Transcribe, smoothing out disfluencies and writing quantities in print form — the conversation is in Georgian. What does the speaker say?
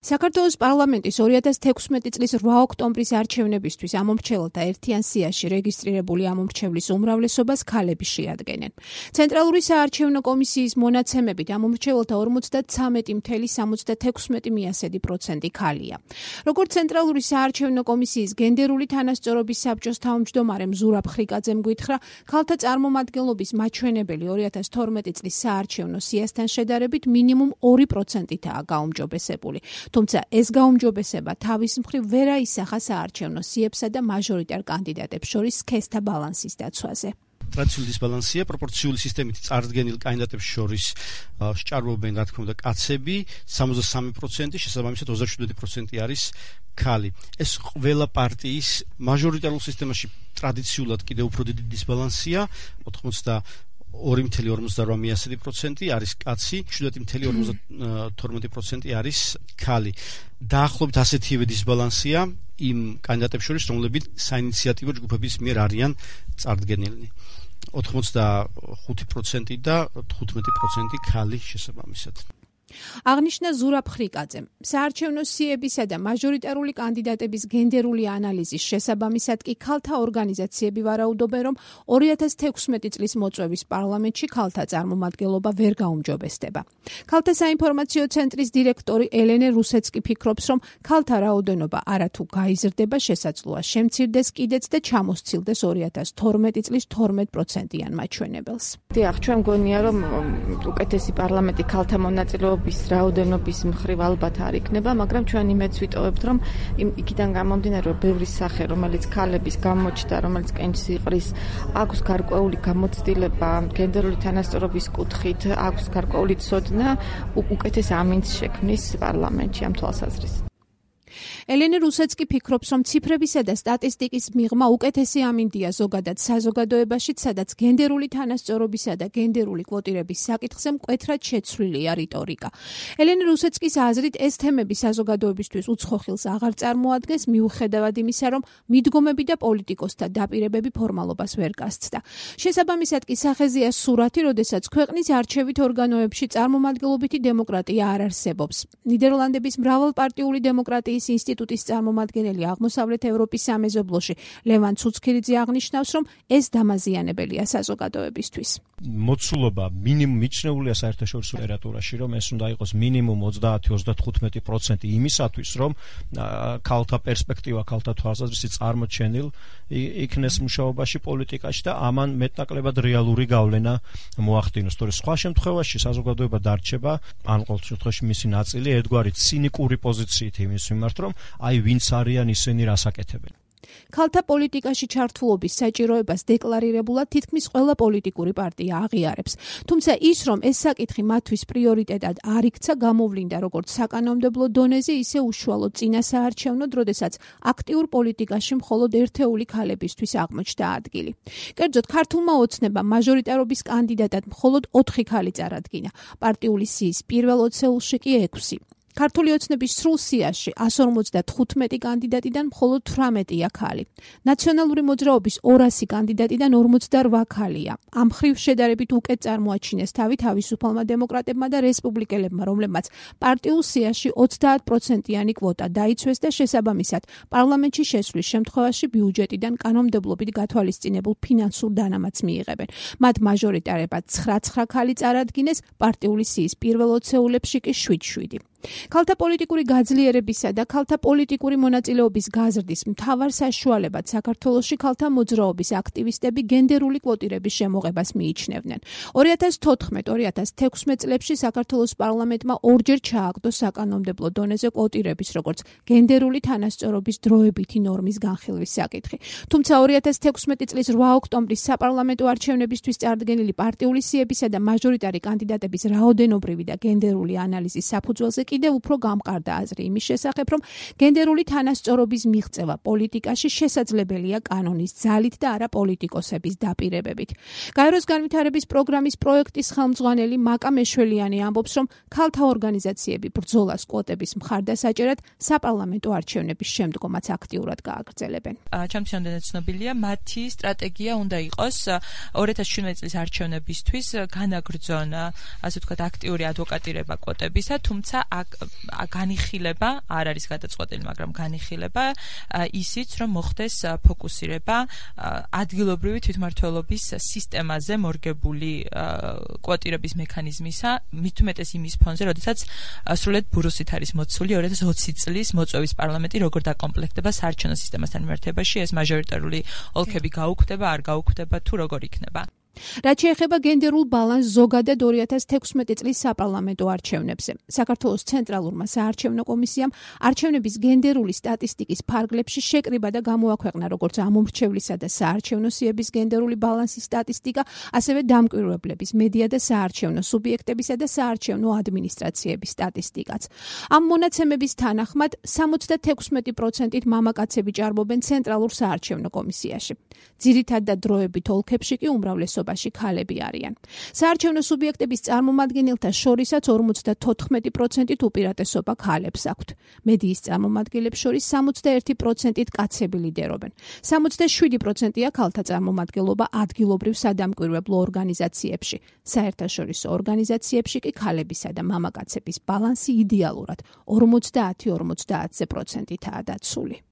საქართველოს პარლამენტის 2016 წლის 8 ოქტომბრის არჩევნებისთვის ამომრჩეველთა ერთიან სიაში რეგისტრირებული ამომრჩევლის უმრავლესობას ქალები შეადგენენ. ცენტრალური საარჩევნო კომისიის მონაცემებით ამომრჩეველთა 53.76% ქალია. როგორც ცენტრალური საარჩევნო კომისიის გენდერული თანასწორობის საბჭოს თავმჯდომარემ ზურაბ ხრიკაძემ გვითხრა, ქალთა წარმომადგენლობის მაჩვენებელი 2012 წლის საარჩევნო სიასთან შედარებით მინიმუმ 2%-აა გაუმჯობესებული. თუმცა ეს გაუმჯობესება თავის მხრივ ვერ აისახა საარჩევნო სიებსა და მაჟორიტარ კანდიდატებს შორის სქესთა ბალანსის დაცვაზე. ტრადიციული დისბალანსია პროპორციული სისტემით წარდგენილ კანდიდატებს შორის სჭარბობენ, რა თქმა უნდა, კაცები 63%, შესაბამისად 27% არის ქალი. ეს ყველა პარტიის მაჟორიტარულ სისტემაში ტრადიციულად კიდევ უფრო დიდი დისბალანსია, 82.48% არის კაცი, 7.52% არის ქალი. დაახლოებით ასეთივე დისბალანსია იმ კანდიდატებს შორის, რომლებიც საინიციატივო ჯგუფების მიერ არიან წარდგენილნი. 85% და 15% ქალი შესაბამისად. აღნიშნა ზურაბ ხრიკაძემ. საარჩევნო სიებისა და მაჟორიტარული კანდიდატების გენდერული ანალიზის შესაბამისად კი ქალთა ორგანიზაციები ვარაუდობენ, რომ 2016 წლის მოწვევის პარლამენტში ქალთა წარმომადგენლობა ვერ გაუმჯობესდება. ქალთა საინფორმაციო ცენტრის დირექტორი ელენე რუსეცკი ფიქრობს, რომ ქალთა რაოდენობა არათუ გაიზრდება, შესაძლოა შემცირდეს კიდეც და ჩამოსცილდეს 2012 წლის 12%-იან მაჩვენებელს. დიახ, ჩვენ მგონია, რომ უკეთესი პარლამენტი ქალთა მონაწილეობის რაოდენობის მხრივ ალბათ არ იქნება, მაგრამ ჩვენ იმედს ვიტოვებთ, რომ იქიდან გამომდინარე, რომ ბევრი სახე, რომელიც ქალების გამოჩნდა, რომელიც კენჭს იყრის, აქვს გარკვეული გამოცდილება გენდერული თანასწორობის კუთხით, აქვს გარკვეული ცოდნა უკეთეს ამინდს შექმნის პარლამენტში ამ თვალსაზრისით. ელენე რუსეცკი ფიქრობს, რომ ციფრებისა და სტატისტიკის მიღმა უკეთესი ამინდია ზოგადად საზოგადოებაშიც, სადაც გენდერული თანასწორობისა და გენდერული კვოტირების საკითხზე მკვეთრად შეცვლილია რიტორიკა. ელენე რუსეცკის აზრით, ეს თემები საზოგადოებისთვის უცხოხილს აღარ წარმოადგენს, მიუხედავად იმისა, რომ მიდგომები და პოლიტიკოსთა დაპირებები ფორმალობას ვერ გასცდა. შესაბამისად კი სახეზეა სურათი, როდესაც ქვეყნის არჩევით ორგანოებში წარმომადგენლობითი დემოკრატია არ არსებობს. ნიდერლანდების მრავალპარტიული დემოკრატიის ინსტიტუტის წარმომადგენელი აღმოსავლეთ ევროპის სამეზობლოში ლევან ცუცქირიძე აღნიშნავს, რომ ეს დამაზიანებელია საზოგადოებისთვის. მოცულობა მინიმუმ მიჩნეულია საერთაშორისო ლიტერატურაში, რომ ეს უნდა იყოს მინიმუმ 30-35% იმისათვის, რომ ქალთა პერსპექტივა, ქალთა თვალსაზრისით წარმოჩენილ იქნეს მუშაობაში, პოლიტიკაში და ამან მეტნაკლებად რეალური გავლენა მოახდინოს. თორე სხვა შემთხვევაში საზოგადოება დარჩება, ან ყოველ შემთხვევაში მისი ნაწილი ერთგვარი ცინიკური პოზიციით იმის მიმართ, რომ აი ვინც არიან ისინი რას აკეთებენ. ქალთა პოლიტიკაში ჩართულობის საჭიროებას დეკლარირებულად თითქმის ყველა პოლიტიკური პარტია აღიარებს. თუმცა ის, რომ ეს საკითხი მათთვის პრიორიტეტად არ იქცა, გამოვლინდა როგორც საკანონმდებლო დონეზე, ისე უშუალოდ წინასაარჩევნოდ, როდესაც აქტიურ პოლიტიკაში მხოლოდ ერთეული ქალებისთვის აღმოჩნდა ადგილი. კერძოდ, ქართულმა ოცნებამ მაჟორიტარობის კანდიდატად მხოლოდ 4 ქალი წარადგინა, პარტიული სიის პირველ ოცეულში კი 6. ქართული ოცნების სრულ სიაში 155 კანდიდატიდან მხოლოდ 18-ია ქალი. ნაციონალური მოძრაობის 200 კანდიდატიდან 48 ქალია. ამ მხრივ შედარებით უკეთ წარმოაჩინეს თავი თავისუფალმა დემოკრატებმა და რესპუბლიკელებმა, რომლებმაც პარტიულ სიაში 30%-იანი კვოტა დაიცვეს და შესაბამისად პარლამენტში შესვლის შემთხვევაში ბიუჯეტიდან კანონმდებლობით გათვალისწინებულ ფინანსურ დანამატს მიიღებენ. მათ მაჟორიტარებად 9 ქალი წარადგინეს, პარტიული სიის პირველ ოცეულებში კი 7. ქალთა პოლიტიკური გაძლიერებისა და ქალთა პოლიტიკური მონაწილეობის გაზრდის მთავარ საშუალებად საქართველოში ქალთა მოძრაობის აქტივისტები გენდერული კვოტირების შემოღებას მიიჩნევდნენ. 2014-2016 წლებში საქართველოს პარლამენტმა ორჯერ ჩააგდო საკანონმდებლო დონეზე კვოტირების, როგორც გენდერული თანასწორობის დროებითი ნორმის განხილვის საკითხი. თუმცა 2016 წლის 8 ოქტომბრის საპარლამენტო არჩევნებისთვის წარდგენილი პარტიული სიებისა და მაჟორიტარი კანდიდატების რაოდენობრივი და გენდერული ანალიზის საფუძველზე კიდევ უფრო გამყარდა აზრი იმის შესახებ, რომ გენდერული თანასწორობის მიღწევა პოლიტიკაში შესაძლებელია კანონის ძალით და არა პოლიტიკოსების დაპირებებით. გაეროს განვითარების პროგრამის პროექტის ხელმძღვანელი მაკა მეშველიანი ამბობს, რომ ქალთა ორგანიზაციები ბრძოლას კვოტების მხარდასაჭერად საპარლამენტო არჩევნების შემდგომაც აქტიურად გააგრძელებენ. ჩემთვის რამდენად ცნობილია, მათი სტრატეგია უნდა იყოს 2017 წლის არჩევნებისთვის განაგრძონა, ასე ვთქვათ, აქტიური ადვოკატირება კვოტებისა, თუმცა განიხილება არ არის გადაწყვეტილი, მაგრამ განიხილება ისიც, რომ მოხდეს ფოკუსირება ადგილობრივი თვითმმართველობის სისტემაზე მორგებული კვოტირების მექანიზმისა, მით უმეტეს იმის ფონზე, როდესაც სრულად ბურუსით არის მოცული 2020 წლის მოწვევის პარლამენტი როგორ დაკომპლექტდება საარჩევნო სისტემასთან მიმართებაში, ეს მაჟორიტარული ოლქები გაუქმდება, არ გაუქმდება თუ როგორ იქნება. რაც შეეხება გენდერულ ბალანსს ზოგადად 2016 წლის საპარლამენტო არჩევნებზე. საქართველოს ცენტრალურმა საარჩევნო კომისიამ არჩევნების გენდერული სტატისტიკის ფარგლებში შეკრიბა და გამოაქვეყნა როგორც ამომრჩევლისა და საარჩევნო სიების გენდერული ბალანსის სტატისტიკა, ასევე დამკვირვებლების, მედია და საარჩევნო სუბიექტებისა და საარჩევნო ადმინისტრაციების სტატისტიკაც. ამ მონაცემების თანახმად 76%-ით მამაკაცები ჭარბობენ ცენტრალურ საარჩევნო კომისიაში. ძირითადად დროებით ოლქებში კი უმრავლესობა ქალები არიან. საარჩევნო სუბიექტების წარმომადგენელთა შორისაც 54%-ით უპირატესობა ქალებს აქვთ. მედიის წარმომადგენლებს შორის 61%-ით კაცები ლიდერობენ. 67%-ია ქალთა წარმომადგენლობა ადგილობრივ სადამკვირვებლო ორგანიზაციებში. საერთაშორისო ორგანიზაციებში კი ქალებისა და მამაკაცების ბალანსი იდეალურად 50-50%-ითაა დაცული.